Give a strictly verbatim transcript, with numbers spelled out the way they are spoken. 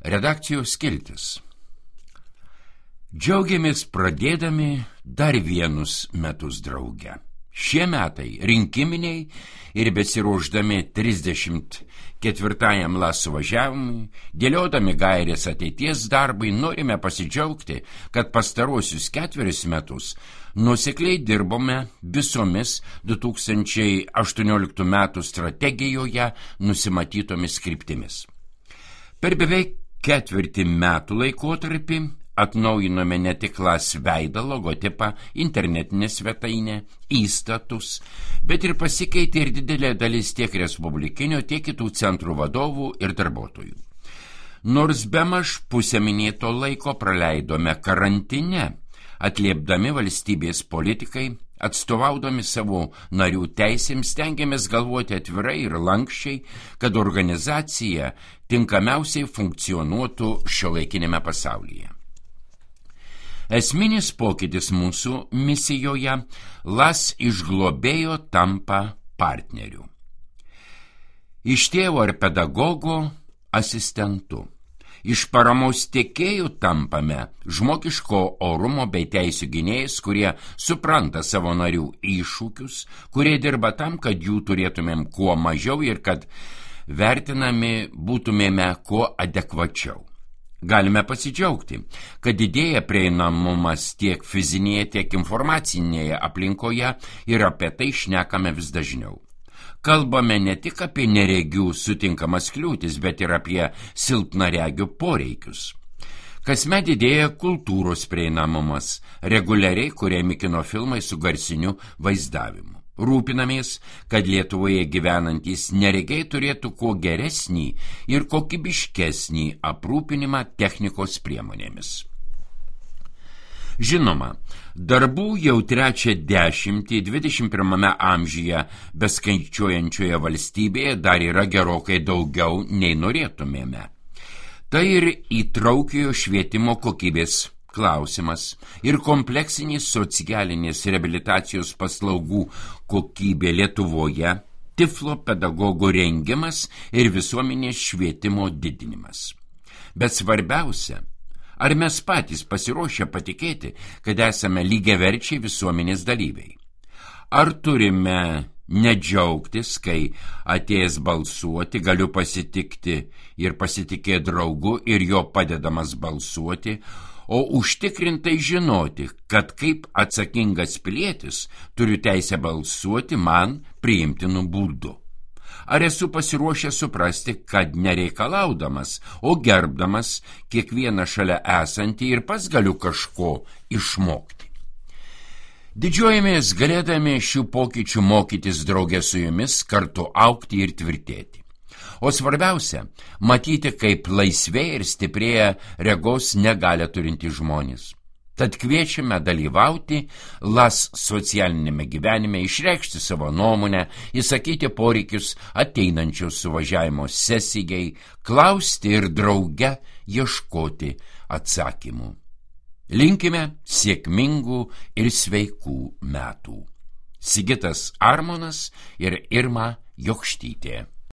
Redakcijos skiltis. Džiaugiamės pradėdami dar vienus metus drauge. Šie metai rinkiminiai ir besiruošdami trisdešimt ketvirtajam LAS suvažiavimui, dėliodami gairės ateities darbai, norime pasidžiaugti, kad pastaruosius ketverius metus nuosekliai dirbome visomis du tūkstančiai aštuonioliktų metų strategijoje nusimatytomis kryptimis. Per beveik ketvirtį metų laikotarpį atnaujinome ne tik LAS veidą, logotipą, internetinę svetainę, įstatus, bet ir pasikeitė ir didelė dalis tiek respublikinio, tiek kitų centrų vadovų ir darbuotojų. Nors bemaž pusę minėto laiko praleidome karantine, atliepdami valstybės politikai, atstovaudami savo narių teisėms, stengiamės galvoti atvirai ir lankščiai, kad organizacija tinkamiausiai funkcionuotų šiuolaikinėme pasaulyje. Esminis pokytis mūsų misijoje – LAS iš globėjo tampa partneriu. Iš tėvo ar pedagogo asistentu. Iš paramos tiekėjų tampame žmogiško orumo bei teisių gynėjais, kurie supranta savo narių iššūkius, kurie dirba tam, kad jų turėtumėm kuo mažiau ir kad vertinami būtumėme kuo adekvačiau. Galime pasidžiaugti, kad didėja prieinamumas tiek fizinėje, tiek informacinėje aplinkoje ir apie tai šnekame vis dažniau. Kalbame ne tik apie neregių sutinkamas kliūtis, bet ir apie silpnaregių poreikius. Kasmet didėja kultūros prieinamumas, reguliariai kuriami kino filmai su garsiniu vaizdavimu. Rūpinamės, kad Lietuvoje gyvenantys neregiai turėtų kuo geresnį ir kokybiškesnį aprūpinimą technikos priemonėmis. Žinoma, darbų jau trečią dešimtį dvidešimt pirmame amžiuje beskaičiuojančioje valstybėje dar yra gerokai daugiau nei norėtumėme. Tai ir įtraukiojo švietimo kokybės klausimas ir kompleksinės socialinės reabilitacijos paslaugų kokybė Lietuvoje, tiflo pedagogų rengimas ir visuomenės švietimo didinimas. Bet svarbiausia, ar mes patys pasiruošę patikėti, kad esame lygiaverčiai visuomenės dalyviai? Ar turime nedžiaugtis, kai atėjęs balsuoti galiu pasitikti ir pasitikėti draugu ir jo padedamas balsuoti, o užtikrintai žinoti, kad kaip atsakingas pilietis turiu teisę balsuoti man priimtinu būdu? Ar esu pasiruošęs suprasti, kad nereikalaudamas, o gerbdamas kiekvieną šalia esantį ir pats galiu kažko išmokti? Didžiuojamės galėdami šių pokyčių mokytis drauge su jumis, kartu augti ir tvirtėti. O svarbiausia, matyti, kaip laisvėja ir stiprėja regos negalią turintys žmonės. Tad kviečiame dalyvauti LAS socialinėme gyvenime, išreikšti savo nuomonę, įsakyti poreikius ateinančios suvažiavimo sesijai, klausti ir drauge ieškoti atsakymų. Linkime sėkmingų ir sveikų metų. Sigitas Armonas ir Irma Jokštytė.